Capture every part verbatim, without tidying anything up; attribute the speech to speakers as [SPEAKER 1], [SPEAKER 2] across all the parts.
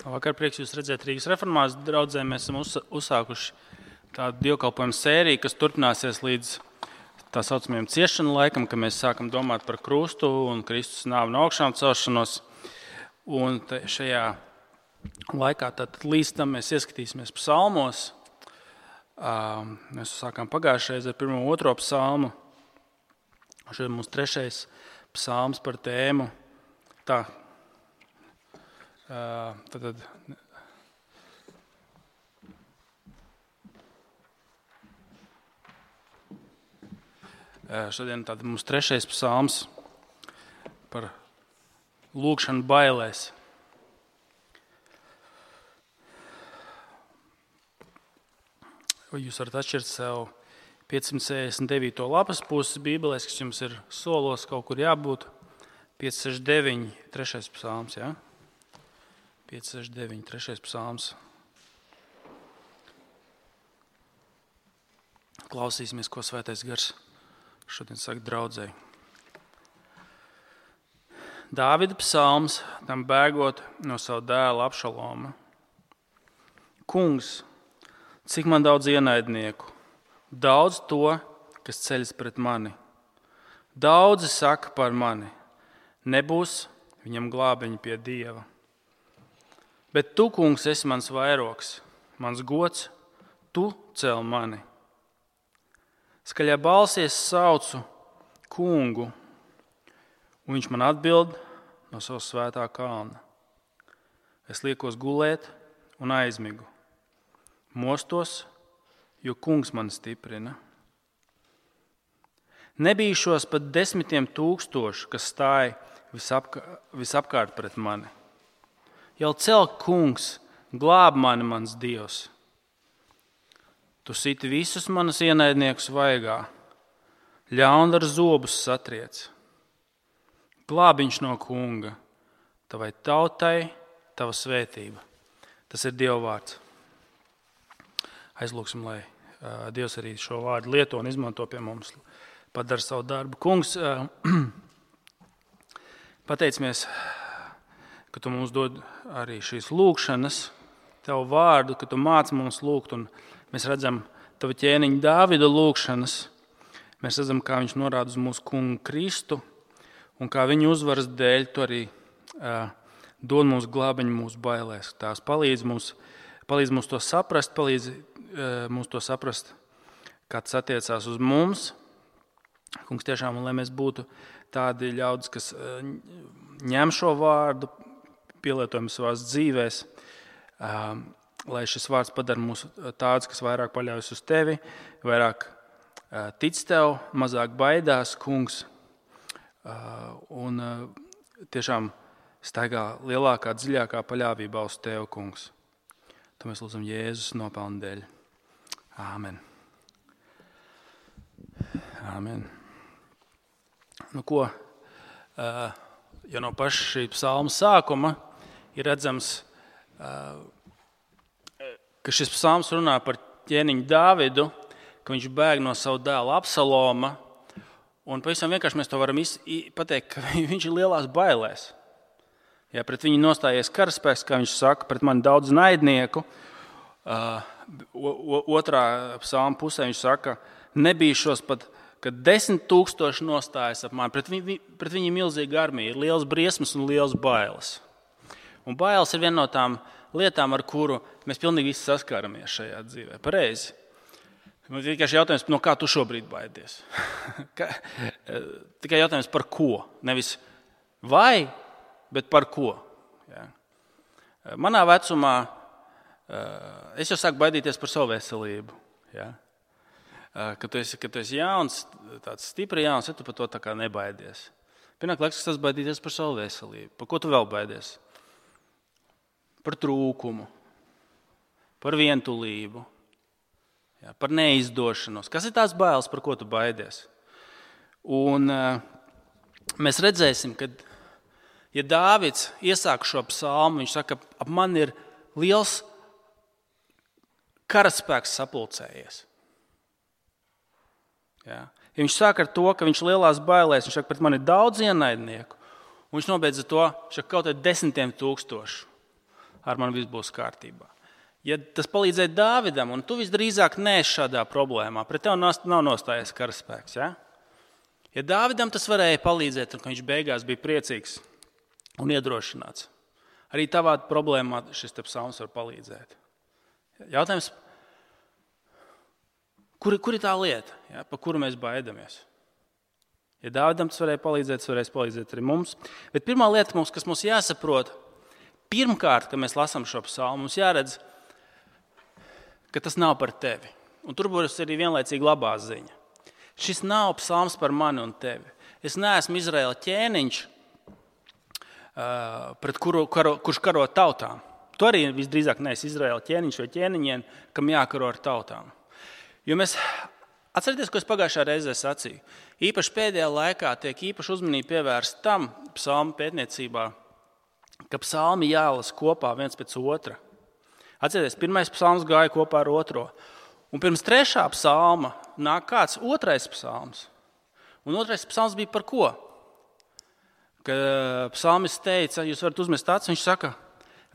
[SPEAKER 1] Vakar prieks jūs redzēt Rīgas reformās draudzē. Mēs esam uzsākuši tādu dievkalpojumu sēriju, kas turpināsies līdz tā saucamajam ciešanu laikam, kad mēs sākam domāt par krustu un Kristus nāvi un augšām celšanos. Un šajā laikā tad līdz tam mēs ieskatīsimies psalmos. Mēs sākām pagājušajā ar pirmo otro psalmu. Šeit mums trešais psalms par tēmu. Tā. Uh, tad, tad, uh, šodien tad mums trešais psalms par lūgšanu bailēs. Jūs varat atšķirt sev piecsimt sešdesmit devīto lapas puses bībelēs, kas jums ir solos kaut kur jābūt. pieci sešdesmit deviņi, trešais psalms, jā? Ja? pieci sešdesmit deviņi, trešais psalms. Klausīsimies, ko Svētais Gars šodien saka draudzei. Dāvida psalms, tam bēgot no savu dēla Abšaloma. Kungs, cik man daudz ienaidnieku, daudz to, kas ceļas pret mani. Daudzi saka par mani, nebūs viņam glābeņi pie Dieva. Bet tu, kungs, esi mans vairogs, mans gods, tu cel mani. Skaļā balsī es saucu kungu, un viņš man atbild no savas svētā kalna. Es liekos gulēt un aizmigu. Mostos, jo kungs mani stiprina. Nebīšos pat desmitiem tūkstošu, kas stāja visapkārt, visapkārt pret mani. Jau cel kungs, glāb mani mans Dievs. Tu siti visus manas ienaidniekus vaigā, ļaundara zobus satriec. Glābiņš no kunga, tavai tautai, tava svētība. Tas ir Dieva vārds. Aizlūksim, lai uh, Dievs arī šo vārdu lieto un izmanto pie mums, padara savu darbu. Kungs, uh, pateicamies, ka tu mums dod arī šīs lūkšanas, tavu vārdu, ka tu māci mums lūgt, un mēs redzam tavu ķēniņu Dāvida lūkšanas. Mēs redzam, kā viņš norāda uz mūsu kungu Kristu, un kā viņa uzvaras dēļ tu arī uh, dod mums glābeņu mūsu bailēs. Tās palīdz mums, palīdz mums to saprast, palīdz uh, mums to saprast, kā tas attiecās uz mums. Kungs, tiešām, un lai mēs būtu tādi ļaudis, kas uh, ņem šo vārdu, pielietojam savās dzīvēs, um, lai šis vārds padara mūs tāds, kas vairāk paļaujas uz tevi, vairāk uh, tic tev, mazāk baidās, kungs, uh, un uh, tiešām staigā lielākā, dziļākā paļāvībā uz tevi, kungs. To mēs lūdzam Jēzus nopelnu dēļ. Āmen. Āmen. Nu ko, uh, jo no paša šī psalma sākuma ir redzams, ka šis psalms runā par ķēniņu Dāvidu, ka viņš bēg no savu dēla Absaloma, un pavisam vienkārši mēs to varam pateikt, ka viņš ir lielās bailēs. Ja pret viņu nostājies karaspēks, kā viņš saka, pret mani daudz naidnieku. Otrā psalma pusē viņš saka, nebīšos pat, kad desmit tūkstoši nostājas ap mani. Pret viņu, pret viņu milzīga armija, ir liels briesmas un liels bailes. Un bailes ir viena no tām lietām, ar kuru mēs pilnīgi visi saskaramies šajā dzīvē. Pareizi. Man ir tikai jautājums, no kā tu šobrīd baidies? Tikai jautājums par ko? Nevis vai, bet par ko? Ja. Manā vecumā es jau sāku baidīties par savu veselību. Ja. Kad tu esi, kad tu esi jauns, tāds stipri jauns, ja tu par to tā kā nebaidies. Pienāk laiks, kas tas baidīties par savu veselību. Par ko tu vēl baidies? Par trūkumu, par vientulību, jā, par neizdošanos. Kas ir tās bailes, par ko tu baidies? Un uh, mēs redzēsim, ka, ja Dāvids iesāk šo psalmu, viņš saka, ap man ir liels karaspēks sapulcējies. Jā. Ja viņš sāk ar to, ka viņš lielās bailēs, viņš saka, pret man ir daudz ienaidnieku, un viņš nobeidz to, viņš saka, kaut vai desmitiem tūkstošu. ar mani viss būs kārtībā. Ja tas palīdzēja Dāvidam, un tu visdrīzāk neesi šādā problēmā, pret tevi nav nostājies karaspēks. Ja? Ja Dāvidam tas varēja palīdzēt, un viņš beigās bija priecīgs un iedrošināts, arī tavā problēmā šis te psalms var palīdzēt. Jautājums, kur, kur ir tā lieta, ja, pa kuru mēs baidamies? Ja Dāvidam tas varēja palīdzēt, tas varēs palīdzēt arī mums. Bet pirmā lieta, mums, kas mums jāsaprot, pirmkārt, kad mēs lasām šo psalmu, mums jāredz, ka tas nav par tevi. Un tur būs arī vienlaicīgi labā ziņa. Šis nav psalms par mani un tevi. Es neesmu Izraēla ķēniņš, pret kuru, karo, kurš karo tautām. Tu arī visdrīzāk neesi Izraēla ķēniņš vai ķēniņien, kam jākaro ar tautām. Jo mēs atcerieties, ko es pagājušā reizē sacīju. Īpaši pēdējā laikā tiek īpaši uzmanība pievērsta tam psalmu pētniecībā, ka psalmi jālasa kopā viens pēc otra. Atcerieties, pirmais psalms gāja kopā ar otro. Un pirms trešā psalma nāk kāds otrais psalms. Un otrais psalms bija par ko? Kad psalmists teica, jūs varat uzmest acis, viņš saka,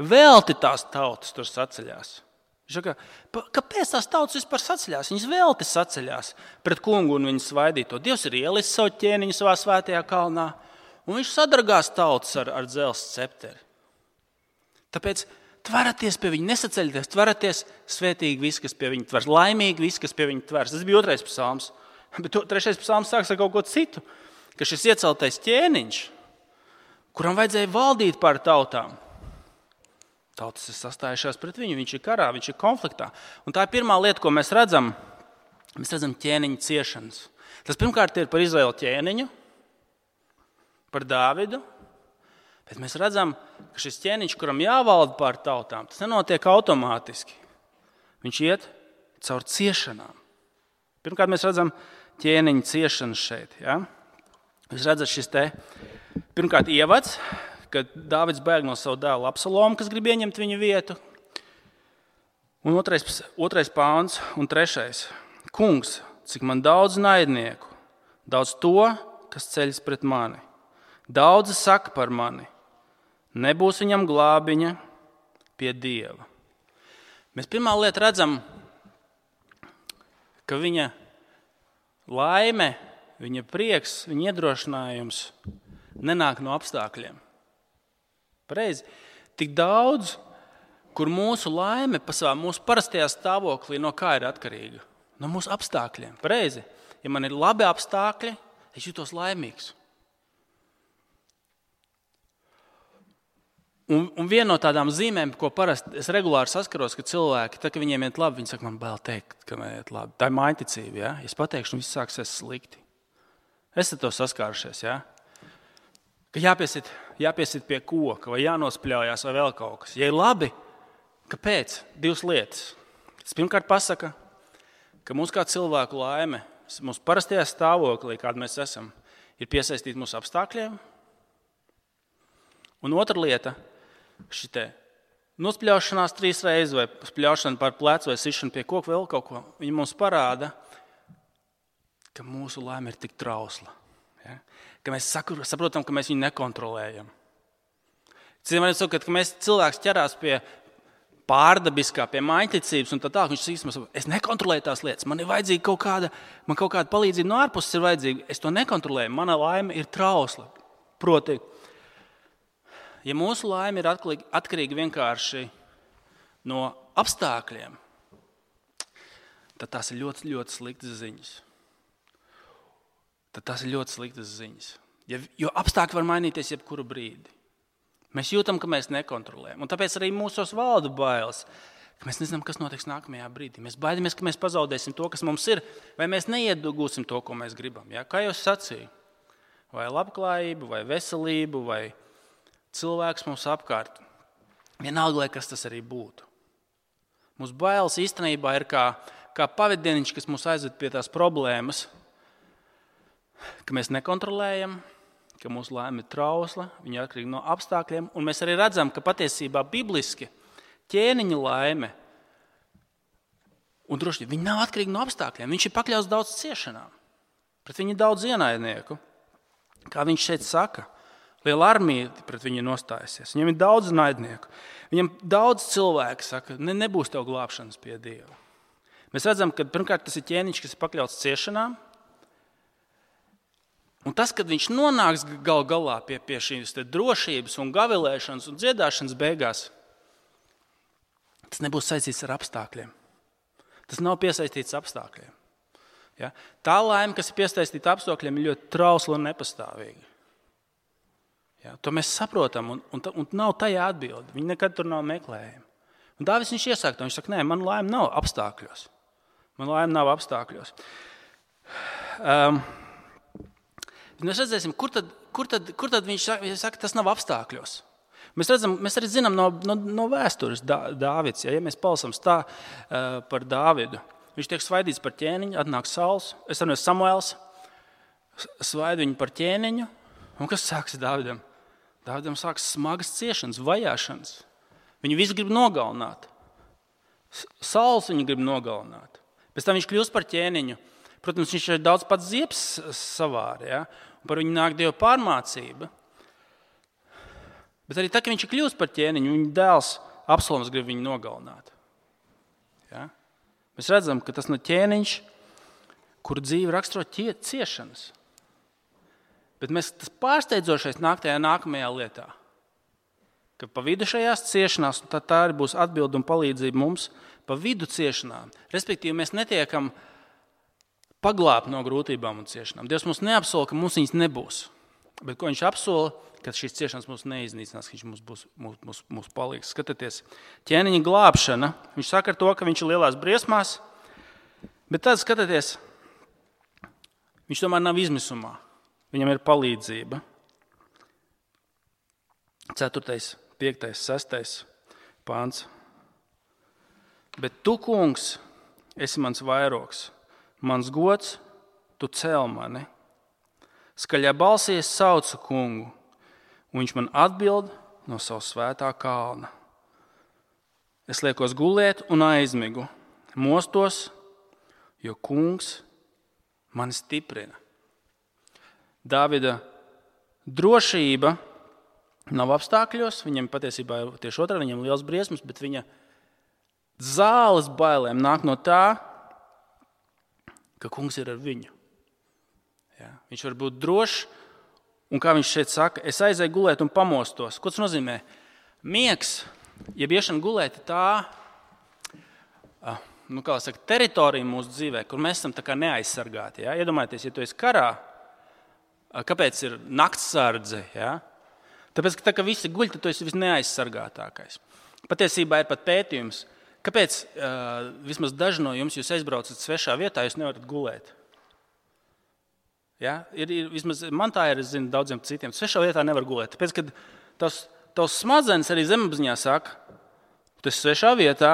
[SPEAKER 1] velti tās tautas tur saceļās. Viņš saka, kāpēc tās tautas vispār saceļās? Viņas velti saceļās pret kungu un viņas svaidīto. Dievs ir ielis savu ķēniņu savā svētajā kalnā, un viņš sadragās tautas ar, ar dzelzs cepteri. Tāpēc tveraties pie viņa, nesaceļieties, tveraties svētīgi visi, kas pie viņa tvers, laimīgi visi, kas pie viņa tvers. Tas bija otrais psalms. Bet to, trešais psalms sāks ar kaut ko citu, ka šis ieceltais ķēniņš, kuram vajadzēja valdīt pār tautām. Tautas ir sastājušās pret viņu, viņš ir karā, viņš ir konfliktā. Un tā ir pirmā lieta, ko mēs redzam. Mēs redzam ķēniņa ciešanas. Tas pirmkārt ir par Izraēla ķēniņu, par Dāvidu, bet mēs redzam, ka šis ķēniņš, kuram jāvalda pār tautām, tas nenotiek automātiski. Viņš iet caur ciešanām. Pirmkārt mēs redzam ķēniņa ciešanas šeit. Ja? Jūs redzat šis te pirmkārt ievads, kad Dāvids bēg no savu dēlu Absalomu, kas grib ieņemt viņa vietu. Un otrais, otrais pāns un trešais. Kungs, cik man daudz naidnieku, daudz to, kas ceļas pret mani. Daudzi saka par mani, nebūs viņam glābiņa pie Dieva. Mēs pirmā lieta redzam, ka viņa laime, viņa prieks, viņa iedrošinājums nenāk no apstākļiem. Pareizi. Tik daudz, kur mūsu laime pasavā, mūsu parastajā stāvoklī, no kā ir atkarīga? No mūsu apstākļiem. Pareizi. Ja man ir labi apstākļi, es jūtos laimīgs. Un, un viena no tādām zīmēm, ko parasti es regulāri saskaros, ka cilvēki, tā, ka viņiem iet labi, viņi saka, man bail teikt, ka man iet labi. Tā ir mājticība, ja? Es pateikšu, un viss sāksies slikti. Esat to saskārušies, ja? Ka jāpiesit, jāpiesit pie koka, vai jānospļaujās, vai vēl kaut kas. Ja ir labi, kāpēc? Divas lietas. Tas pirmkārt pasaka, ka mūsu kā cilvēku laime, mūsu parastajā stāvoklī, kāda mēs esam, ir piesaistīta mūsu apstākļiem. Un otra lieta, šitie nospļaušanās trīs reizes, vai spļaušana par plecu, vai sišana pie koka, vēl kaut ko, viņi mums parāda, ka mūsu laime ir tik trausla. Ja? Ka mēs saprotam, ka mēs viņu nekontrolējam. Citiem vārdā sakot, ka mēs cilvēks ķerās pie pārdabiskā, pie mājticības, un tā tā, viņš sīsmas, es nekontrolēju tās lietas, man ir vajadzīga kaut kāda, man kaut kāda palīdzība no ārpuses ir vajadzīga, es to nekontrolēju, mana laime ir trausla. Proti, ja mūsu laime ir atkarīga vienkārši no apstākļiem, tad tās ir ļoti, ļoti sliktas ziņas. Tad tās ir ļoti sliktas ziņas. Ja, jo apstākļi var mainīties jebkuru brīdi. Mēs jūtam, ka mēs nekontrolējam. Un tāpēc arī mūsos valda bailes, ka mēs nezinām, kas notiks nākamajā brīdī. Mēs baidamies, ka mēs pazaudēsim to, kas mums ir, vai mēs neiedugūsim to, ko mēs gribam. Ja? Kā jau es sacīju, vai labklājību, vai veselību, vai cilvēks mums apkārt. Vienalga, lai kas tas arī būtu. Mūsu bailes īstenībā ir kā, kā pavadieniņš, kas mūs aizved pie tās problēmas, ka mēs nekontrolējam, ka mūsu laime ir trausla, viņa ir atkarīga no apstākļiem, un mēs arī redzam, ka patiesībā bibliski ķēniņa laime, un droši viņi nav atkarīgi no apstākļiem, viņš ir pakļauts daudz ciešanām, pret viņu daudz ienaidnieku. Kā viņš šeit saka, Liela armija pret viņu nostājusies. Viņam ir daudz naidnieku. Viņam daudz cilvēku saka, ne, nebūs tev glābšanas pie Dieva. Mēs redzam, ka pirmkārt tas ir ķēniņš, kas ir pakļauts ciešanām. Un tas, kad viņš nonāks gal galā pie, pie šīs drošības un gavilēšanas un dziedāšanas beigās, tas nebūs saistīts ar apstākļiem. Tas nav piesaistīts apstākļiem. Ja? Tā laime, kas ir piesaistīta apstākļiem, ir ļoti trausla un nepastāvīga. Ja? To mēs saprotam, un, un, un nav tajā atbildi. Viņi nekad tur nav meklējumi. Un Dāvids viņš iesāk to, viņš saka, nē, man laime nav apstākļos. Man laime nav apstākļos. Um, mēs redzēsim, kur tad, kur tad, kur tad viņš saka, viņš saka, tas nav apstākļos. Mēs, redzam, mēs arī zinām no, no, no vēstures Dā, Dāvids, ja, ja mēs palasām tā uh, par Dāvidu. Viņš tiek svaidīts par ķēniņu, atnāk Sauls, es saprotu, Samuēls, svaida viņu par ķēniņu. Un kas sāks Dāvidam? Dāvidam sāks smagas ciešanas, vajāšanas. Viņu visi grib nogalināt. Sauls viņu grib nogalināt. Pēc tam viņš kļūst par ķēniņu. Protams, viņš ir daudz pats ziepes savāri, ja? Un par viņu nāk Dieva pārmācība. Bet arī tā, ka viņš ir kļūst par ķēniņu, viņa dēls Absaloms grib viņu nogalināt. Ja? Mēs redzam, ka tas no ķēniņš, kur dzīve raksturo ciešanas. Bet mēs, tas pārsteidzošais nāk tajā nākamajā lietā. Ka pa vidu šajās ciešanās, tad tā arī būs atbilde un palīdzība mums pa vidu ciešanām. Respektīvi, mēs netiekam paglābt no grūtībām un ciešanām. Dievs mums neapsola, ka mums viņas nebūs. Bet ko viņš apsola, ka šīs ciešanas mums neiznīcinās, ka viņš mums būs mūs, mūs, mūs palīgs. Skatieties, ķēniņa glābšana. Viņš saka ar to, ka viņš ir lielās briesmās, bet tad skatieties, viņš tomēr nav izmisumā. Viņam ir palīdzība. Ceturtais, piektais, sestais pāns. Bet tu, kungs, esi mans vairogs, mans gods, tu cel mani. Skaļā balsī es saucu kungu, un viņš man atbild no savas svētā kalna. Es liekos gulēt un aizmigu, mostos, jo kungs mani stiprina. Dāvida drošība nav apstākļos, viņam patiesībā ir tieši otrā, viņam liels briesmas, bet viņa zāles bailēm nāk no tā, ka kungs ir ar viņu. Ja? Viņš var būt drošs, un kā viņš šeit saka, es aizēju gulēt un pamostos. Ko tas nozīmē? Miegs, jeb iešana gulēt, tā, nu, kā saka, teritorija mūsu dzīvē, kur mēs esam tā kā neaizsargāti. Ja? Iedomājieties, ja tu esi karā, kāpēc ir naktsardze? Ja? Tāpēc, ka tā, ka visi guļ, tad tu esi visneaizsargātākais. Patiesībā ir pat pētījums, kāpēc uh, vismaz daži no jums, jūs aizbraucat svešā vietā, jūs nevarat gulēt. Ja? Ir, ir, vismaz man tā ir, es zinu, daudziem citiem. Svešā vietā nevar gulēt. Tāpēc, kad tavs, tavs smadzenes arī zemapziņā saka, tu esi svešā vietā,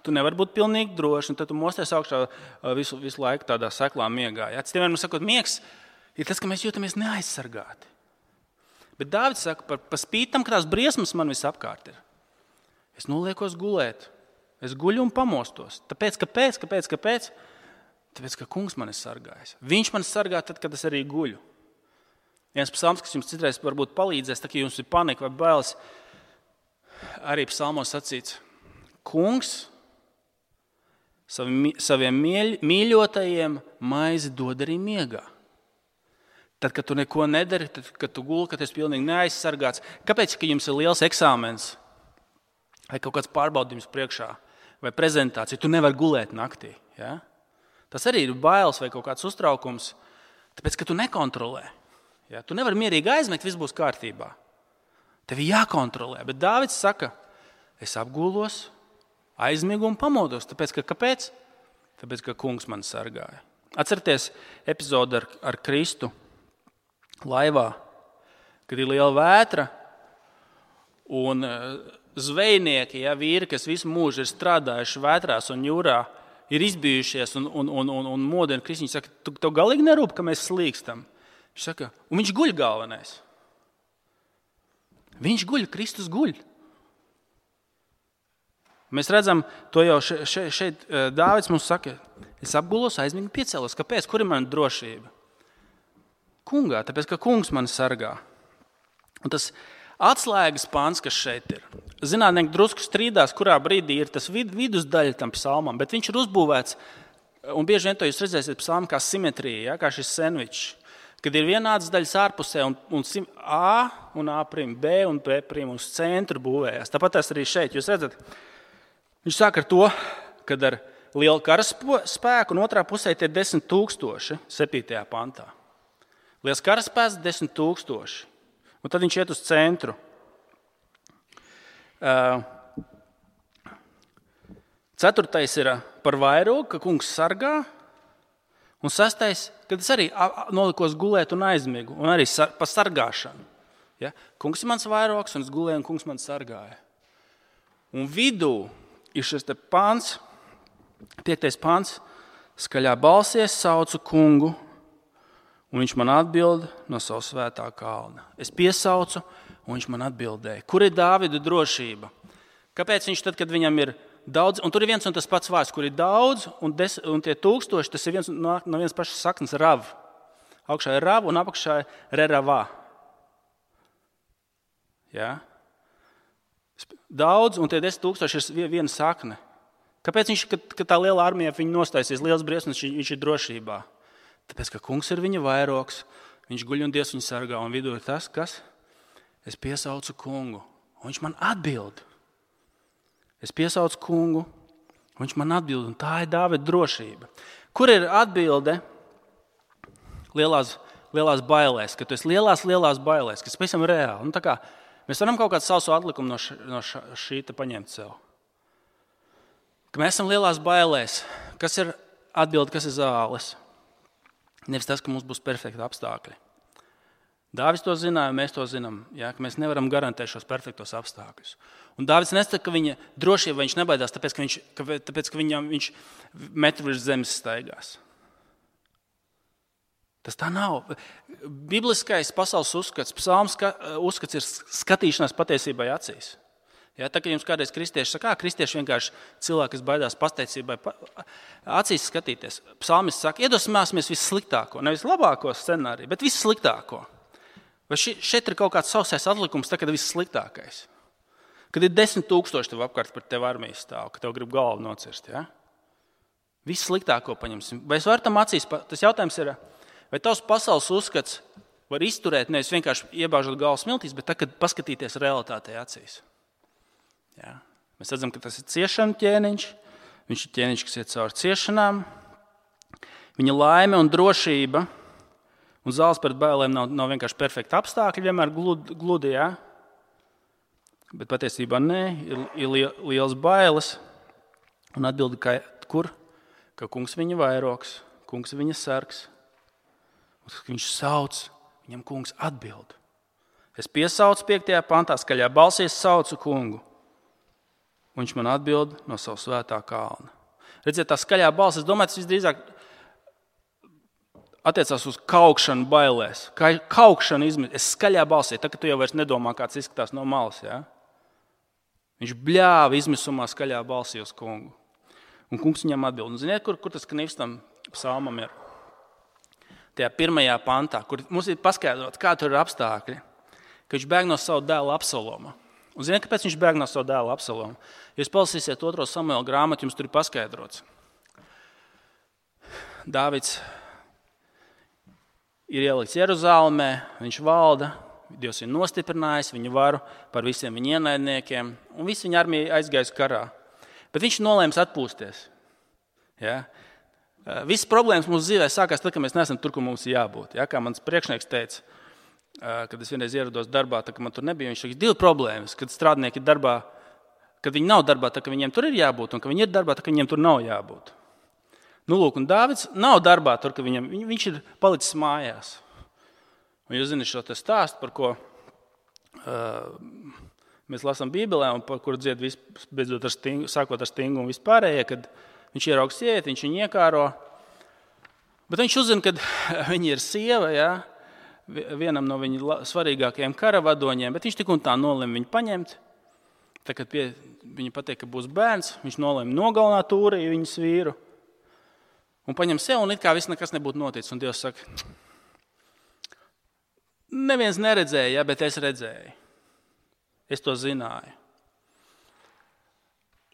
[SPEAKER 1] tu nevari būt pilnīgi droši, un tad tu mosties augšā visu, visu laiku tādā seklā miegā. Ja? Citiem vienmēr sakot, miegs ir tas, ka mēs jūtamies neaizsargāti. Bet Dāvids saka, par, par spītam, ka tās briesmas man visapkārt ir. Es noliekos gulēt. Es guļu un pamostos. Tāpēc, kāpēc, kāpēc, kāpēc? Tāpēc, ka kungs mani sargājas. Viņš mani sargā tad, kad es arī guļu. Viens psalms, kas jums citreiz varbūt palīdzēs, tā kā jums ir panika vai bailes, arī psalmos sacīts. Kungs saviem mīļotajiem maizi dod arī miegā. Tad, kad tu neko nedari, tad, kad tu guli, kad esi pilnīgi neaizsargāts. Kāpēc, ka jums ir liels eksāmens vai kaut kāds pārbaudījums priekšā vai prezentācija, tu nevari gulēt naktī? Ja? Tas arī ir bailes vai kaut kāds uztraukums, tāpēc, ka tu nekontrolē. Ja? Tu nevari mierīgi aizmigt, viss būs kārtībā. Tev ir jākontrolē. Bet Dāvids saka, es apgulos, aizmigu un pamodos. Tāpēc, ka kāpēc? Tāpēc, ka kungs man sargāja. Atcerieties epizodu ar, ar Kristu laivā, kad ir liela vētra un zvejnieki, ja, vīri, kas visu mūžu ir strādājuši vētrās un jūrā, ir izbijušies un, un, un, un, un modina Kristu. Viņš saka, tu, tev galīgi nerūp, ka mēs slīkstam. Viņš saka, un viņš guļ galvenais. Viņš guļ, Kristus guļ. Mēs redzam, to jau še, še, šeit Dāvids mums saka, es apgulos, aizmigu, piecēlos. Kāpēc? Kur ir mana drošība? Kungā, tāpēc, ka kungs mani sargā. Un tas atslēgas pants, kas šeit ir, zinātnieki drusku strīdās, kurā brīdī ir tas vid, vidusdaļa tam psalmam, bet viņš ir uzbūvēts, un bieži vien to jūs redzēsiet psalmu kā simetrija, ja, kā šis sandvičs, kad ir vienādas daļas ārpusē un, un A un A', B un B' uz centru būvējās. Tāpat tas arī šeit, jūs redzat, viņš sāk ar to, kad ar lielu karaspēku un otrā pusē tie desmit tūkstoši, septītajā pantā. Liels karaspēks, desmit tūkstoši. Un tad viņš iet uz centru. Ceturtais ir par vairogu, ka kungs sargā. Un sastais, kad es arī nolikos gulēt un aizmigu. Un arī par sargāšanu. Ja? Kungs ir mans vairogs un es gulēju un kungs man sargāja. Un vidū ir šis te pants, piektais pants, skaļā balsies saucu kungu. Un viņš man atbild no savu svētā kalna. Es piesaucu, un viņš man atbildēja. Kur ir Dāvida drošība? Kāpēc viņš tad, kad viņam ir daudz, un tur ir viens un tas pats vārds, kur ir daudz, un, des, un tie tūkstoši, tas ir viens no, no vienas pašas saknes rav. Augšā ir rav un apakšā ir reravā. Ja? Daudz, un tie desmit tūkstoši ir viena sakne. Kāpēc viņš, kad, kad tā liela armija viņa nostāsies, liels briesmas, viņš ir drošībā? Tāpēc, ka kungs ir viņa vairogs, viņš guļ un Dievs viņu sargā, un vidū ir tas, kas? Es piesaucu kungu, un viņš man atbild. Es piesaucu kungu, un viņš man atbild, un tā ir Dāvida drošība. Kur ir atbilde lielās, lielās bailēs, ka tu esi lielās, lielās bailēs, kas pavisam reāli? Nu, tā kā mēs varam kaut kādu savu atlikumu no, š, no š, šī te paņemt sev. Ka mēs esam lielās bailēs, kas ir atbilde, kas ir zāles? Nevis tas, ka mums būs perfekti apstākļi. Dāvids to zināja, mēs to zinām, ja, ka mēs nevaram garantēt šos perfektos apstākļus. Un Dāvids nesaka, ka viņa drošība viņš nebaidās, tāpēc, ka viņš, ka, tāpēc, ka viņam, viņš metru virs zemes staigās. Tas tā nav. Bibliskais pasaules uzskats, psalms uzskats ir skatīšanās patiesībai acīs. Ja, tā kā jums kādreiz kristieši saka, kā kristieši vienkārši cilvēki, kas baidās pasteicībai, acīs skatīties. Psalmists saka, iedvesmosimies vissliktāko, nevis labāko scenāriju, bet vissliktāko. Vai ši, šeit ir kaut kāds sausais atlikums, tā, kad ir vissliktākais? Kad ir desmit tūkstoši tev apkārt par tev armijas stāv, ka tev grib galvu nocirst. Ja? Vissliktāko paņemsim. Vai es varu tam acīs? Tas jautājums ir, vai tavs pasaules uzskats var izturēt, nevis vienkārši iebāžot galvu smiltīs, bet tā, kad paskatīties realitātei acīs. Jā. Mēs redzam, ka tas ir ciešanu ķēniņš. Viņš ir ķēniņš, kas iet cauri ciešanām. Viņa laime un drošība un zāles pret bailēm nav, nav vienkārši perfekti apstākļi, vienmēr gludi, gludi jā. Bet patiesībā nē, ir, ir liels bailes. Un atbildi, ka, kur? Ka kungs viņa vairogs, kungs viņa sargs. Viņš sauc, viņam kungs atbild. Es piesaucu piektajā pantā, skaļā balsies saucu kungu. Un viņš man atbild no savu svētā kalna. Redziet, tā skaļā balss, es domāju, tas visdrīzāk attiecās uz kaukšanu bailēs. Kā kaukšana izmet, es skaļā balsī, tā, ka tu jau vairs nedomā, kāds izskatās no malas. Ja? Viņš bļāva izmisumā skaļā balsī uz kungu. Un kungs viņam atbild. Un ziniet, kur, kur tas knivs tam psalmam ir? Tajā pirmajā pantā, kur mums ir paskaidrots, kā tur ir apstākļi, ka viņš bēg no savu dēlu Absaloma. Un ziniet, kāpēc viņš bēg no savu dēlu Absalomu? Ja jūs palasīsiet otro Samuela grāmatu, jums tur ir paskaidrots. Dāvids ir ielikts Jeruzālēmē, viņš valda, Dievs viņu nostiprinājis, viņu varu par visiem viņa ienaidniekiem, un visi viņa armija aizgājas karā. Bet viņš nolēms atpūsties. Ja? Visas problēmas mūsu dzīvē sākās tad, kad mēs neesam tur, kur mums ir jābūt. Ja? Kā mans priekšnieks teica, kad es vienreiz ierados darbā, tā, ka man tur nebija, viņš teica, divi problēmas, kad strādnieki ir darbā, kad viņi nav darbā, tā, ka viņiem tur ir jābūt, un ka viņi ir darbā, tā, ka viņiem tur nav jābūt. Nu, lūk, un Dāvids nav darbā tur, ka viņam, viņš ir palicis mājās. Un jūs zināt šo te stāstu, par ko uh, mēs lasām Bībelē, un par kuru dzied visu, beidzot ar stingu, sākot ar stingu un vispārējie, kad viņš ierauga sievieti, viņš viņu iekāro, bet viņš uzzina, kad viņa ir sieva, jā, vienam no viņa svarīgākajiem karavadoņiem, bet viņš tik un tā nolēma viņu paņemt. Tā, kad pie, viņa pateica, ka būs bērns, viņš nolēma nogalināt Ūriju, viņas vīru, un paņem sev, un it kā viss nekas nebūtu noticis. Un Dievs saka, Neviens neredzēja, bet es redzēju. Es to zināju.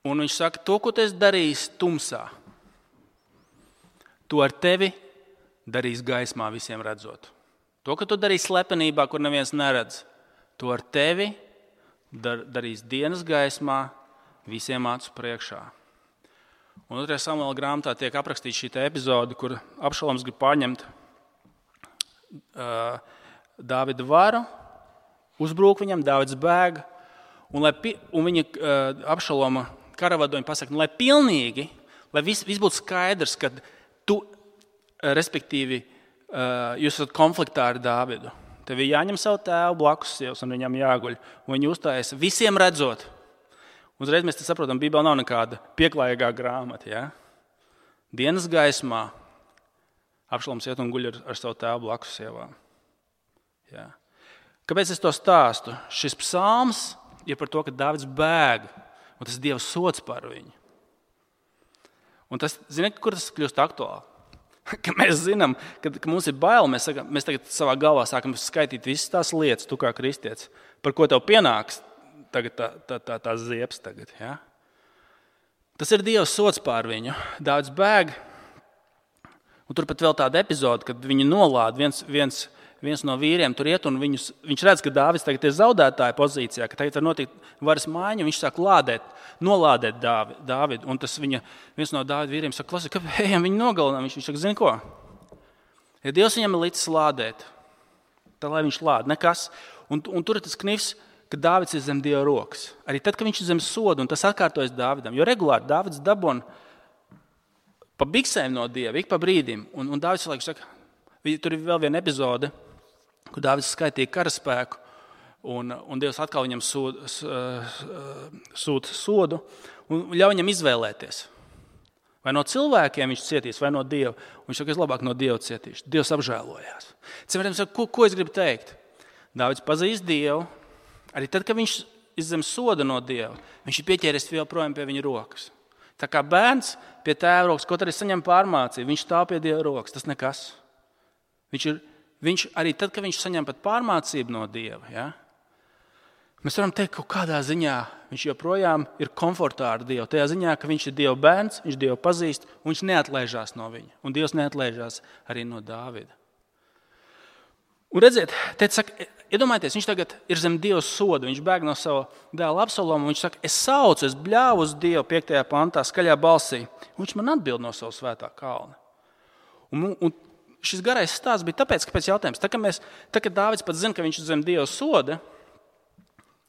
[SPEAKER 1] Un viņš saka, to, ko tu esi darījis tumsā, to ar tevi darīs gaismā visiem redzot. To, ko tu darīsi slepenībā, kur neviens neredz, to ar tevi dar, darīs dienas gaismā visiem acu priekšā. Un otrajā Samuela grāmatā tiek aprakstīta šī epizode, kur Abšaloms grib pārņemt uh, Dāvida varu, uzbrūk viņam, Dāvids bēg, un, lai, un viņa uh, Abšaloma karavadoņi pasaka, nu, lai pilnīgi, lai viss vis būtu skaidrs, ka tu, respektīvi, uh, jūs esat konfliktā ar Dāvidu. Tev ir jāņem savu tēvu blakus sievas un viņam jāguļ, un viņi uzstājas visiem redzot. Uzreiz mēs te saprotam, Bībelē nav nekāda pieklājīgā grāmata. Ja? Dienas gaismā Abšaloms iet un guļ ar, ar savu tēvu blakus sievām. Ja? Kāpēc es to stāstu? Šis psalms ir par to, ka Dāvids bēg, un tas ir Dieva sods par viņu. Un tas, ziniet, kur tas kļūst aktuāli? Ka mēs zinām, ka, ka mums ir bail, mēs, sakam, mēs tagad savā galvā sākam skaitīt visas tās lietas, tu kā kristietis, par ko tev pienāks tagad tā, tā, tā, tā ziepes tagad. Ja? Tas ir Dieva sods pār viņu. Dāvids bēg, un tur pat vēl tāda epizode, kad viņu nolāda viens, viens, viens no vīriem tur iet, un viņus, viņš redz, ka Dāvids tagad ir zaudētāja pozīcijā, ka tagad var notikt varas maiņa, un viņš sāk lādēt, nolādēt Dāvidu. Un tas viņa, viens no Dāvida vīriem saka, klasi, kāpēc ejam viņu nogalinām? Viņš, viņš saka, zini ko? Ja Dievs viņam ir licis lādēt, tad lai viņš lāda, nekas. Un, un tur ir tas knifs, ka Dāvids ir zem Dieva rokas. Arī tad, kad viņš ir zem soda, un tas atkārtojas Dāvidam. Jo regulāri Dāvids dabon pa biksēm no Dieva, ik pa brīdim. Un, un Dāvids laiku saka, tur ir vēl viena epizode, kur Dāvids skaitīja karaspēku, un, un Dievs atkal viņam sūta sūd sodu un ļauj viņam izvēlēties. Vai no cilvēkiem viņš cietīs, vai no Dieva. Un viņš saka, es labāk no Dieva cietīšu. Dievs apžēlojās. Cilvēkiem saka, ko, ko es gribu teikt? Dāvids pazīst Dievu. Arī tad, kad viņš ir zem soda no Dieva, viņš ir pieķēries vēl projām pie viņa rokas. Tā kā bērns pie tēva rokas, kaut arī saņem pārmācību, viņš stāv pie Dieva rokas, tas nekas. Viņš ir, viņš arī tad, kad viņš saņem pat pārmācību no Dieva, ja? Mēs varam teikt, ka kādā ziņā viņš joprojām ir komfortā ar Dievu. Tajā ziņā, ka viņš ir Dieva bērns, viņš Dievu pazīst, un viņš neatlaižās no viņa. Un Dievs neatlaižās arī no Dāvida. Un redziet, teica, saka, iedomājieties, viņš tagad ir zem Dieva soda, viņš bēg no sava dēla Absaloma, un viņš saka, es saucu, es bļāvu uz Dievu piektajā pantā, skaļā balsī, un viņš man atbild no sava svētā kalna. Un, un šis garais stāsts bija tāpēc, kāpēc jautājums, tā, ka mēs, tā, ka Dāvids pat zina, ka viņš ir zem Dieva soda,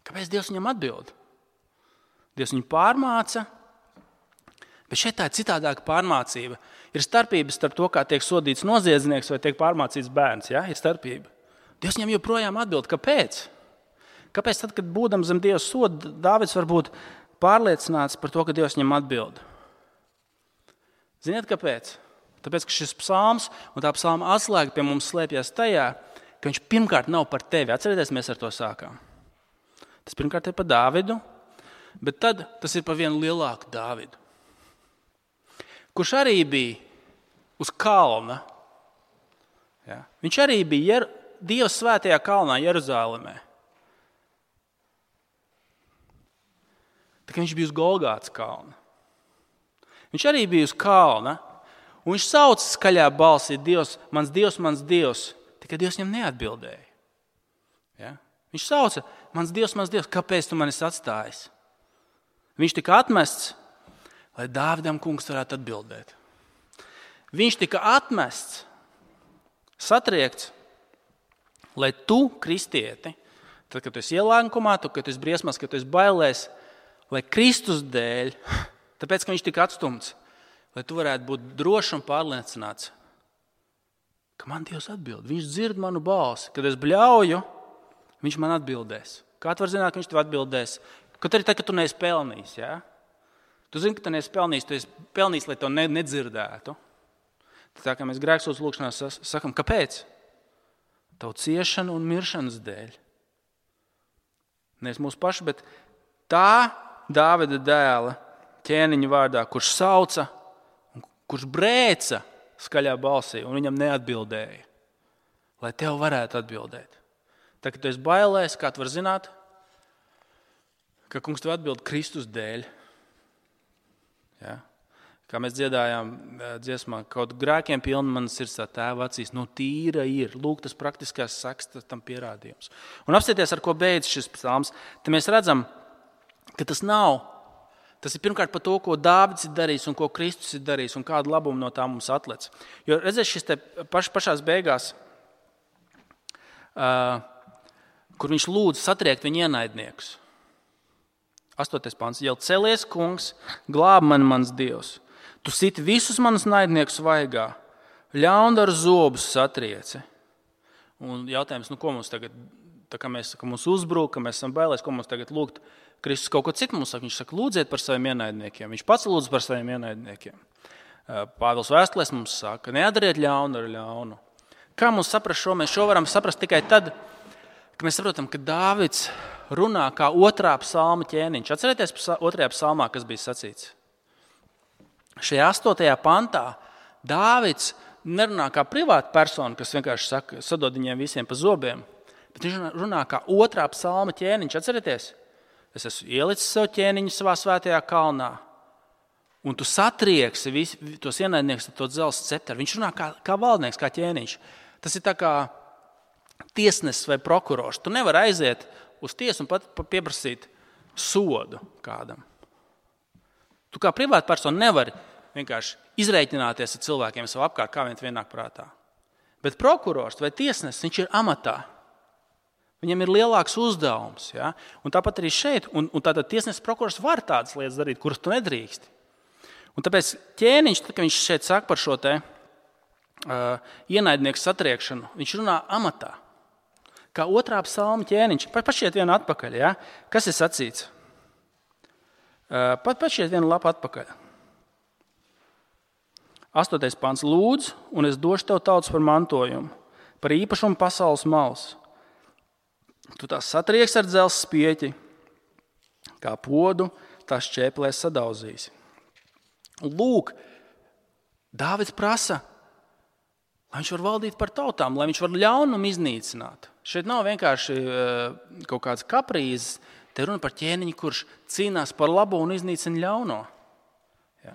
[SPEAKER 1] kāpēc Dievs viņam atbild? Dievs viņu pārmāca, bet šeit tā ir citādāka pārmācība. Ir starpības starp to, kā tiek sodīts noziedznieks vai tiek pārmācīts bērns, ja? Ir starpība. Dievs viņam joprojām atbild, kāpēc? Kāpēc tad, kad būdam zem Dieva soda, Dāvids var būt pārliecināts par to, ka Dievs viņam atbild? Ziniet, kāpēc? Tāpēc, ka šis psalms un tā psalma atslēga pie mums slēpjas tajā, ka viņš pirmkārt nav par tevi. Atcerieties, mēs ar to sākām. Tas pirmkārt ir par Dāvidu, bet tad tas ir par vienu lielāku Dāvidu, kurš arī bija uz kalna. Ja? Viņš arī bija Jer- Dieva svētajā kalnā Jeruzālemē. Tā kā viņš bija uz Golgātas kalna. Viņš arī bija uz kalna, un viņš sauca skaļā balsī, Dievs, mans Dievs, mans Dievs, tikai Dievs viņam neatbildēja. Ja? Viņš sauca, mans Dievs, mans Dievs, kāpēc tu mani esi atstājis? Viņš tika atmests, lai Dāvidam kungs varētu atbildēt. Viņš tika atmests, satriekts, lai tu, kristieti, tad, kad tu esi ielākumā, kad tu esi briesmās, kad tu esi bailēs, lai Kristus dēļ, tāpēc, ka viņš tika atstumts, lai tu varētu būt drošs un pārliecināts, ka man Dievs atbild. Viņš dzird manu balsi. Kad es bļauju, viņš man atbildēs. Kā tu vari zināt, ka viņš tev atbildēs? Kaut arī tad, kad tu neesi pelnījis, ja? Tu zini, ka tu neesi pelnījis, tu esi pelnījis, lai to nedzirdētu. Tā kā mēs grēksūdz lūkšanā sakam, kāpēc? Tavu ciešanu un miršanas dēļ. Nevis mūsu paši, bet tā Dāvida dēla ķēniņa vārdā, kurš sauca, kurš brēca skaļā balsī un viņam neatbildēja, lai tev varētu atbildēt. Tā, kad tu esi bailēs, kā tu vari zināt, ka kungs tev atbild Kristus dēļ. Ja? Kā mēs dziedājām dziesmā, kaut grēkiem pilna manas sirds tā tēva acīs, no tīra ir. Lūk, tas praktiskās saks, tas tam pierādījums. Un apstāties, ar ko beidz šis psalms, te mēs redzam, ka tas nav. Tas ir pirmkārt par to, ko Dāvids ir darījis un ko Kristus ir darījis un kādu labumu no tā mums atlec. Jo redzēs šis te paš, pašās beigās, uh, kur viņš lūdz satriekt viņa ienaidniekus. Astotais pants. Jau celies, kungs, glāb mani mans Dievs. Tu siti visus manus naidniekus vaigā, ļaundaru zobus satrieci. Un jautājums, nu ko mums tagad, tā kā mēs, ka mums uzbrūk, ka mēs esam bailēs, ko mums tagad lūgt? Kristus kaut ko citu mums saka. Viņš saka, lūdziet par saviem ienaidniekiem. Viņš pats lūdz par saviem ienaidniekiem. Pāvils vēstulēs mums saka, neatdariet ļaunu ar ļaunu. Kā mums saprast šo? Mēs šo varam saprast tikai tad, ka mēs saprotam, ka Dāvids runā kā otrā psalma ķēniņš. Atcerieties otrajā psalmā, kas bija sacīts. Šajā astotajā pantā Dāvids nerunā kā privāta persona, kas vienkārši saka, sadod viņiem visiem pa zobiem, bet viņš runā kā otrā psalma ķēniņš. Atcerieties, es esmu ielicis sev ķēniņu savā svētajā kalnā, un tu satrieksi vis, tos ienaidniekus ar to dzelzs cepteru. Viņš runā kā, kā valdnieks, kā ķēniņš. Tas ir tā kā tiesnesis vai prokurors. Tu nevari aiziet uz tiesu un pat pieprasīt sodu kādam. Tu kā privāta persona nevari vienkārši izreikināties ar cilvēkiem savu apkārt, kā vien vienāk prātā. Bet prokurors vai tiesnesis, viņš ir amatā. Viņam ir lielāks uzdevums. Ja? Un tāpat arī šeit. Un, un tātad tiesnesis prokurors var tādas lietas darīt, kuras tu nedrīksti. Un tāpēc ķēniņš, kad viņš šeit saka par šo te uh, ienaidnieku satriekšanu, viņš runā amatā. Kā otrā psalma ķēniņš. Pašiet vienu atpakaļ. Ja? Kas ir sacīts? Pat pašiet vienu lapu atpakaļ. Astotais pants. Lūdz, un es došu tev tautas par mantojumu, par īpašumu pasaules malas. Tu tās satrieks ar dzelzs spieķi, kā podu, tās šķēplēs sadauzīsi. Lūk, Dāvids prasa, lai viņš var valdīt par tautām, lai viņš var ļaunumu iznīcināt. Šeit nav vienkārši kaut kāds kaprīzes. Te runa par ķēniņu, kurš cīnās par labo un iznīcina ļauno. Ja?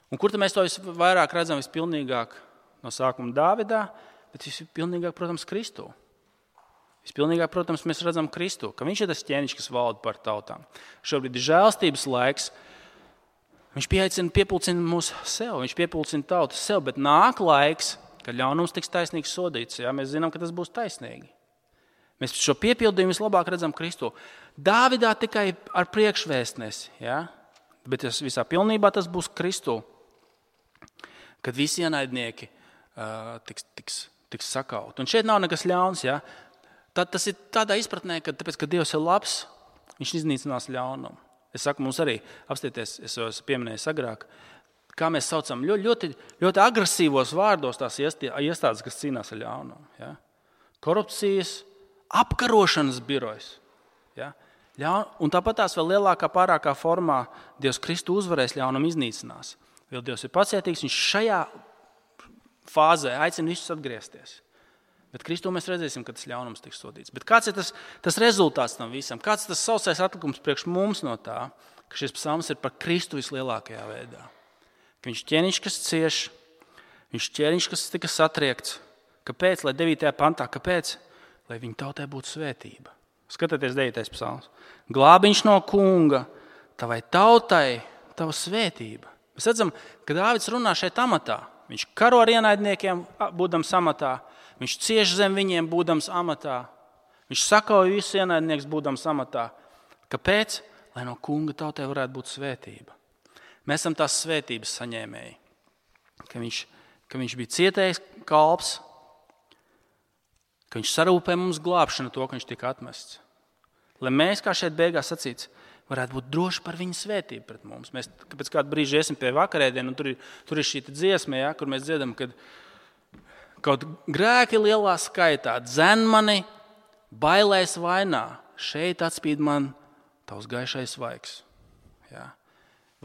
[SPEAKER 1] Un kur tad mēs to vairāk redzam vispilnīgāk no sākuma Dāvidā, bet vispilnīgāk, protams, Kristū. Vispilnīgāk, protams, mēs redzam Kristū, ka viņš ir tas ķēniņš, kas valda par tautām. Šobrīd ir žēlstības laiks. Viņš pieaicina, piepulcina mūs sev, viņš piepulcina tautas sev, bet nāk laiks, kad ļaunums tiks taisnīgi sodīts. Ja? Mēs zinām, ka tas būs taisnīgi. Mēs šo piepildījumu vislabāk redzam Kristu. Dāvidā tikai ar priekšvēstnesi, ja? Bet tas visā pilnībā tas būs Kristu, kad visi ienaidnieki uh, tiks, tiks, tiks sakaut. Un šeit nav nekas ļauns. Ja? Tad, tas ir tādā izpratnē, ka tāpēc, ka Dievs ir labs, viņš iznīcinās ļaunumu. Es saku, mums arī apstieties, es jau pieminēju agrāk, kā mēs saucam ļoti, ļoti, ļoti agresīvos vārdos tās iestādes, kas cīnās ar ļaunumu. Ja? Korupcijas, apkarošanas birojas. Ja? Un tāpat tās vēl lielākā pārākā formā Dievs Kristu uzvarēs, ļaunumu iznīcinās. Vēl Dievs ir pacietīgs, viņš šajā fāzē aicina visus atgriezties. Bet Kristū mēs redzēsim, ka tas ļaunums tiks sodīts. Bet kāds ir tas, tas rezultāts tam visam? Kāds ir tas sausais atlikums priekš mums no tā, ka šis psalms ir par Kristu vislielākajā veidā? Ka viņš ķēniņš, kas cieš, viņš ķēniņš, kas tika satriekts. Kāpēc? Lai devītajā pantā, kāpēc? Lai viņa tautai būtu svētība. Skatieties devītais psalms. Glābiņš no kunga, tavai tautai, tava svētība. Mēs redzam, ka Dāvids runā šeit amatā. Viņš karo ar ienaidniekiem, būdams amatā. Viņš cieš zem viņiem, būdams amatā. Viņš sakauj visus ienaidniekus, būdams amatā. Kāpēc? Lai no kunga tautai varētu būt svētība. Mēs esam tās svētības saņēmēji. Ka viņš, ka viņš bija cietējis kalps, ka viņš sarūpē mums glābšanu to, ka viņš tika atmests. Lai mēs, kā šeit beigās sacīts, varētu būt droši par viņa svētību pret mums. Mēs pēc kādu brīžu iesim pie vakarēdienu, un tur ir, tur ir šī dziesma, ja, kur mēs dziedam, kad kaut grēki lielā skaitā dzen mani bailēs vainā. Šeit atspīd man tavs gaišais vaigs. Ja.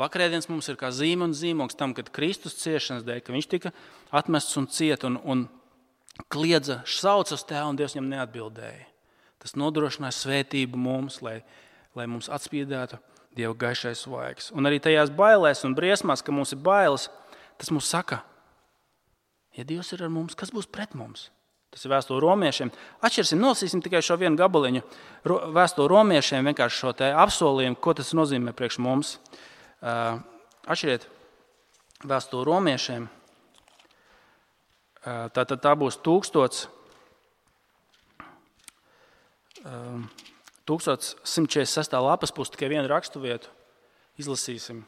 [SPEAKER 1] Vakarēdienas mums ir kā zīme un zīmogs tam, kad Kristus ciešanas dēļ, ka viņš tika atmests un ciet un, un kliedza, sauca uz Tēvu, un Dievs viņam neatbildēja. Tas nodrošināja svētību mums, lai, lai mums atspīdētu Dieva gaišais svaigs. Un arī tajās bailēs un briesmās, ka mums ir bailes, tas mums saka, ja Dievs ir ar mums, kas būs pret mums? Tas ir vēstule romiešiem. Atšķirsim, nolasīsim tikai šo vienu gabaliņu. Vēstule romiešiem vienkārši šo te apsolījumu, ko tas nozīmē priekš mums. Uh, atšķiriet vēstule romiešiem. Uh, tā, tā, tā būs tūkstots, uh, tūkstots simt četrdesmit sestā lapas puse, tikai vienu rakstu vietu. Izlasīsim.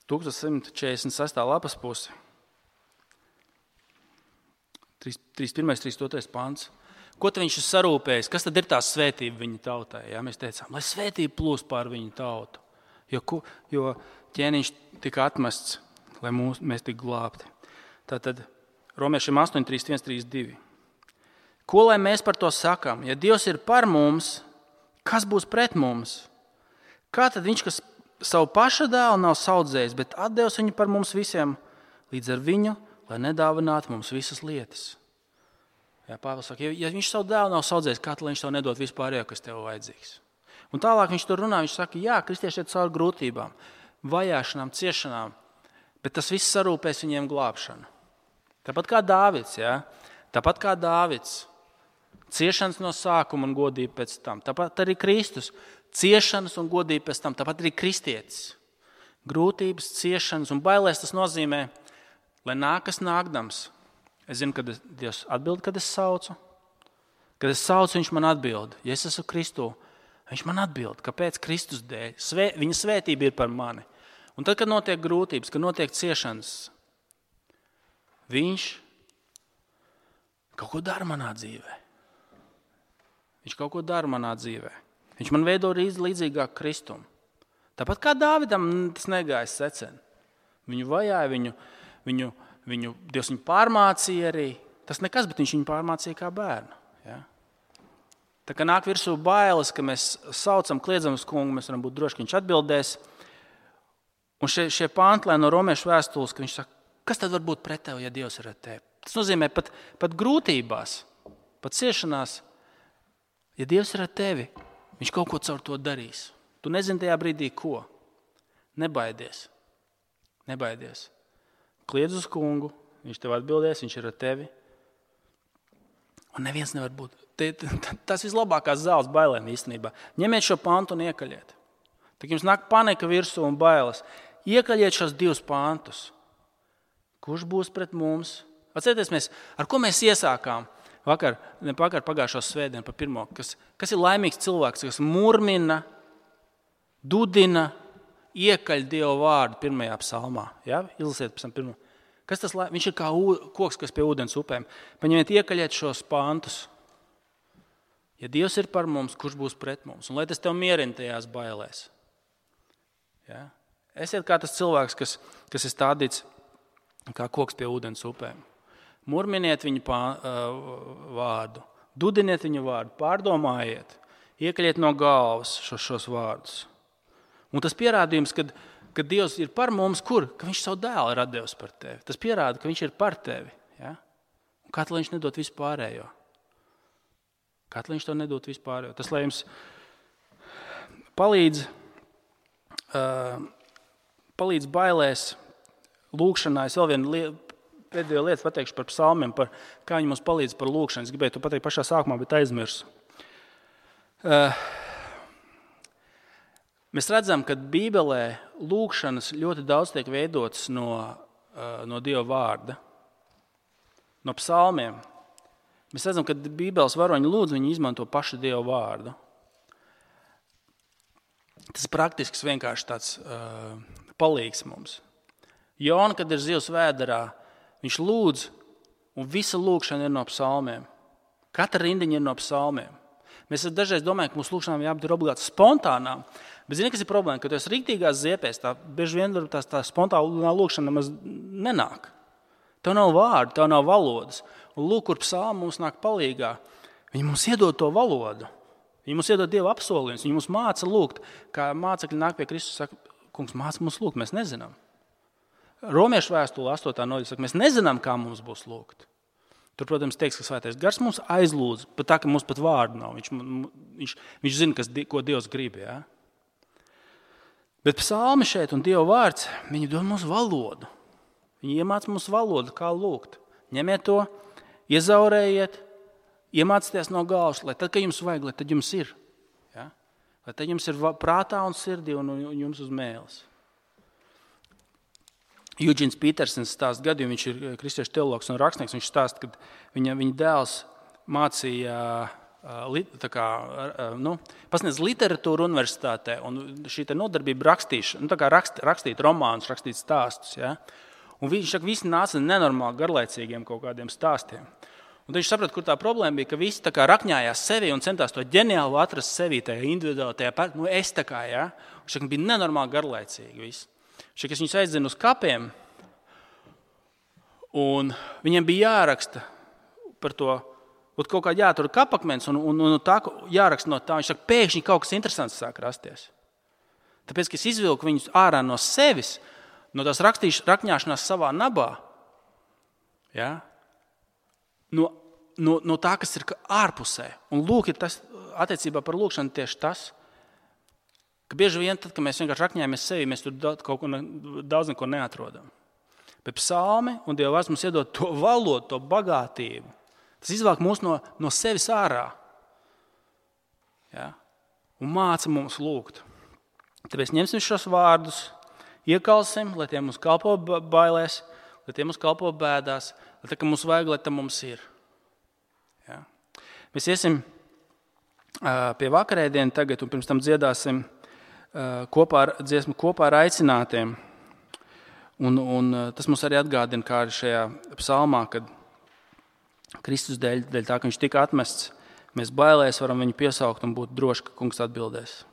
[SPEAKER 1] tūkstots simt četrdesmit sestā lapas puse. trīsdesmit pirmais, trīsdesmit otrais pants. Ko tad viņš ir sarūpējis? Kas tad ir tā svētība viņa tautai? Ja? Mēs teicām, lai svētība plūst pār viņu tautu. Jo, jo ķēniņš tika atmests, lai mūs, mēs tik glābti. Tātad romiešiem astoņi, trīsdesmit viens, trīsdesmit divi. Ko lai mēs par to sakām? Ja Dievs ir par mums, kas būs pret mums? Kā tad viņš, kas savu paša dēlu nav saudzējis, bet atdevis viņu par mums visiem, līdz ar viņu, lai nedāvinātu mums visas lietas? Jā, Pāvils saka, ja, ja viņš savu dēlu nav saudzējis, kā tad viņš tev nedod vispārējo, kas tev vajadzīgs? Un tālāk viņš tur runā, viņš saka, jā, kristieši iet cauri grūtībām, vajāšanām, ciešanām, bet tas viss sarūpēs viņiem glābšanu. Tāpat kā Dāvids, jā, tāpat kā Dāvids, ciešanas no sākuma un godība pēc tam. Tāpat arī Kristus, ciešanas un godība pēc tam. Tāpat arī kristietis. Grūtības, ciešanas un bailēs tas nozīmē, lai nākas nākdams. Es zinu, kad Dievs atbild, kad es saucu. Kad es saucu, viņš man atbild. Ja es esmu Kristū, viņš man atbild. Kāpēc? Kristus dēļ. Svē, viņa svētība ir par mani. Un tad, kad notiek grūtības, kad notiek ciešanas, viņš kaut ko dara manā dzīvē. Viņš kaut ko dara manā dzīvē. Viņš man veido līdzīgāk Kristum. Tāpat kā Dāvidam tas negājas secen. Viņu vajāja, viņu, viņu, viņu, Dievs viņu pārmācīja arī. Tas nekas, bet viņš viņu pārmācīja kā bērnu. Ja? Tā kā nāk virsū bailes, ka mēs saucam, kliedzam uz kungu, mēs varam būt droši, ka viņš atbildēs. Un šie, šie pānti no romiešu vēstules, ka viņš saka, kas tad var būt pret tevi, ja Dievs ir ar tevi? Tas nozīmē pat, pat grūtībās, pat ciešanās. Ja Dievs ir ar tevi, viņš kaut ko caur to darīs. Tu nezini tajā brīdī, ko. Nebaidies. Nebaidies. Kliedz uz kungu, viņš tev atbildēs, viņš ir ar tevi. Un neviens nevar būt. Tas vislabākās zāles bailēm īstenībā. Ņemiet šo pantu un iekaļiet. Tad jums nāk panika virsū un bailes. Iekaļiet šos divus pantus. Kurš būs pret mums? Atcerieties, mēs, ar ko mēs iesākām? Vakar, ne vakar pagājušo svētdienu pa pirmo, kas, kas ir laimīgs cilvēks, kas murmina, dudina, iekaļ Dieva vārdu pirmajā psalmā. Ja? Izlasiet pēc tam pirmo. Kas tas, viņš ir kā koks, kas pie ūdens upēm. Paņemiet, iekaļiet šos pantus. Ja Dievs ir par mums, kurš būs pret mums? Un lai tas tev mierina tajās bailēs. Ja? Esiet kā tas cilvēks, kas, kas ir stādīts kā koks pie ūdens upēm. Murminiet viņu pā, uh, vārdu, dudiniet viņu vārdu, pārdomājiet, iekaļiet no galvas šos, šos vārdus. Un tas pierādījums, kad, kad Dievs ir par mums, kur? Ka viņš savu dēlu ir atdevis par tevi. Tas pierāda, ka viņš ir par tevi. Ja? Un kā tad viņš nedod vispārējo? Kā tad viņš to nedod vispārējo? Tas, lai jums palīdz, uh, palīdz bailēs, lūkšanā, es vēl vienu lietu, pēdējo lietu pateikšu par psalmiem, par kā viņi mums palīdz par lūkšanu. Es gribēju to pateikt pašā sākumā, bet aizmirsu. Uh, mēs redzam, ka Bībelē lūkšanas ļoti daudz tiek veidotas no, uh, no Dieva vārda, no psalmiem. Mēs redzam, ka Bībeles varoņi lūdz, viņi izmanto pašu Dieva vārdu. Tas praktisks vienkārši tāds uh, palīgs mums. Jona, kad ir zivs vēderā, viņš lūdz, un visa lūkšana ir no psalmiem. Katra rindiņa ir no psalmiem. Mēs dažreiz domājam, ka mūsu lūkšanām jābūt obligāti spontānām, bet zini, kas ir problēma, ka tu esi rīktīgās ziepēs, tā bieži vien tā, tā spontānā lūkšana nemaz nenāk. Tev nav vārdu, tev nav valodas. Un lūk, kur psalmi mums nāk palīgā. Viņi mums iedod to valodu. Viņi mums iedod Dieva apsolījumus. Viņi mums māca lūgt, kā mācekļi nāk pie Kristus, saka, kungs, māca mums lūgt, mēs nezinām. Romiešu vēstule astotā nodaļa saka, mēs nezinām, kā mums būs lūgt. Tur, protams, teiks, ka svētais gars mums aizlūdz, pat tā, ka mums pat vārdu nav. Viņš, viņš, viņš zina, kas, ko Dievs grib. Ja? Bet psalmi šeit un Dieva vārds, viņi dod mums valodu. Viņi iemāc mums valodu, kā lūgt. Ņemiet to, iezaurējiet, iemācieties no galvas, lai tad, kad jums vajag, lai tad jums ir. Ja? Lai tad jums ir prātā un sirdī un, un jums uz mēles. Eugēns Petersens stāsta gadījumu, viņš ir kristiešu teologs un rakstnieks, viņš stāsta, ka viņa, viņa dēls mācīja, tā kā, nu, pasniedz literatūru universitātē, un šī te nodarbība rakstīšana, nu, tā kā rakst, rakstīt romānus, rakstīt stāstus, ja? Un viņš saka, visi nāca nenormāli garlaicīgiem kaut kādiem stāstiem. Un viņš saprata, kur tā problēma bija, ka visi tā kā rakņājās sevi un centās to ģeniālu atrast sevi, tajā individuāli, tajā pat, nu, es tā kā, ja? Un viņš saka, bija nenormāli garlaicīgi visi. Šeit es viņus aizdzinu uz kapiem, un viņiem bija jāraksta par to, kaut kā jātur kapakmens, un, un, un tā jāraksta no tā. Viņš saka, pēkšņi kaut kas interesants sāk rasties. Tāpēc, ka es izvilku viņus ārā no sevis, no tās rakņāšanās savā nabā, ja? no, no, no tā, kas ir ārpusē. Un lūk, ir tas attiecībā par lūkšanu tieši tas, ka bieži vien, tad, kad mēs vienkārši rakņājamies sevi, mēs tur kaut ko, daudz neko neatrodam. Bet psalmi un Dieva vārds mums iedod to valodu, to bagātību. Tas izvāk mūs no, no sevis ārā. Ja? Un māca mums lūgt. Tāpēc ņemsim šos vārdus, iekalsim, lai tie mums kalpo bailēs, lai tie mums kalpo bēdās, lai tā, ka mums vajag, lai tā mums ir. Ja? Mēs iesim uh, pie vakarēdienu tagad un pirms tam dziedāsim kopā ar dziesmu, kopā ar aicinātiem. Un, un tas mums arī atgādina, kā arī šajā psalmā, kad Kristus dēļ, dēļ tā, ka viņš tika atmests, mēs bailēs varam viņu piesaukt un būt droši, ka kungs atbildēs.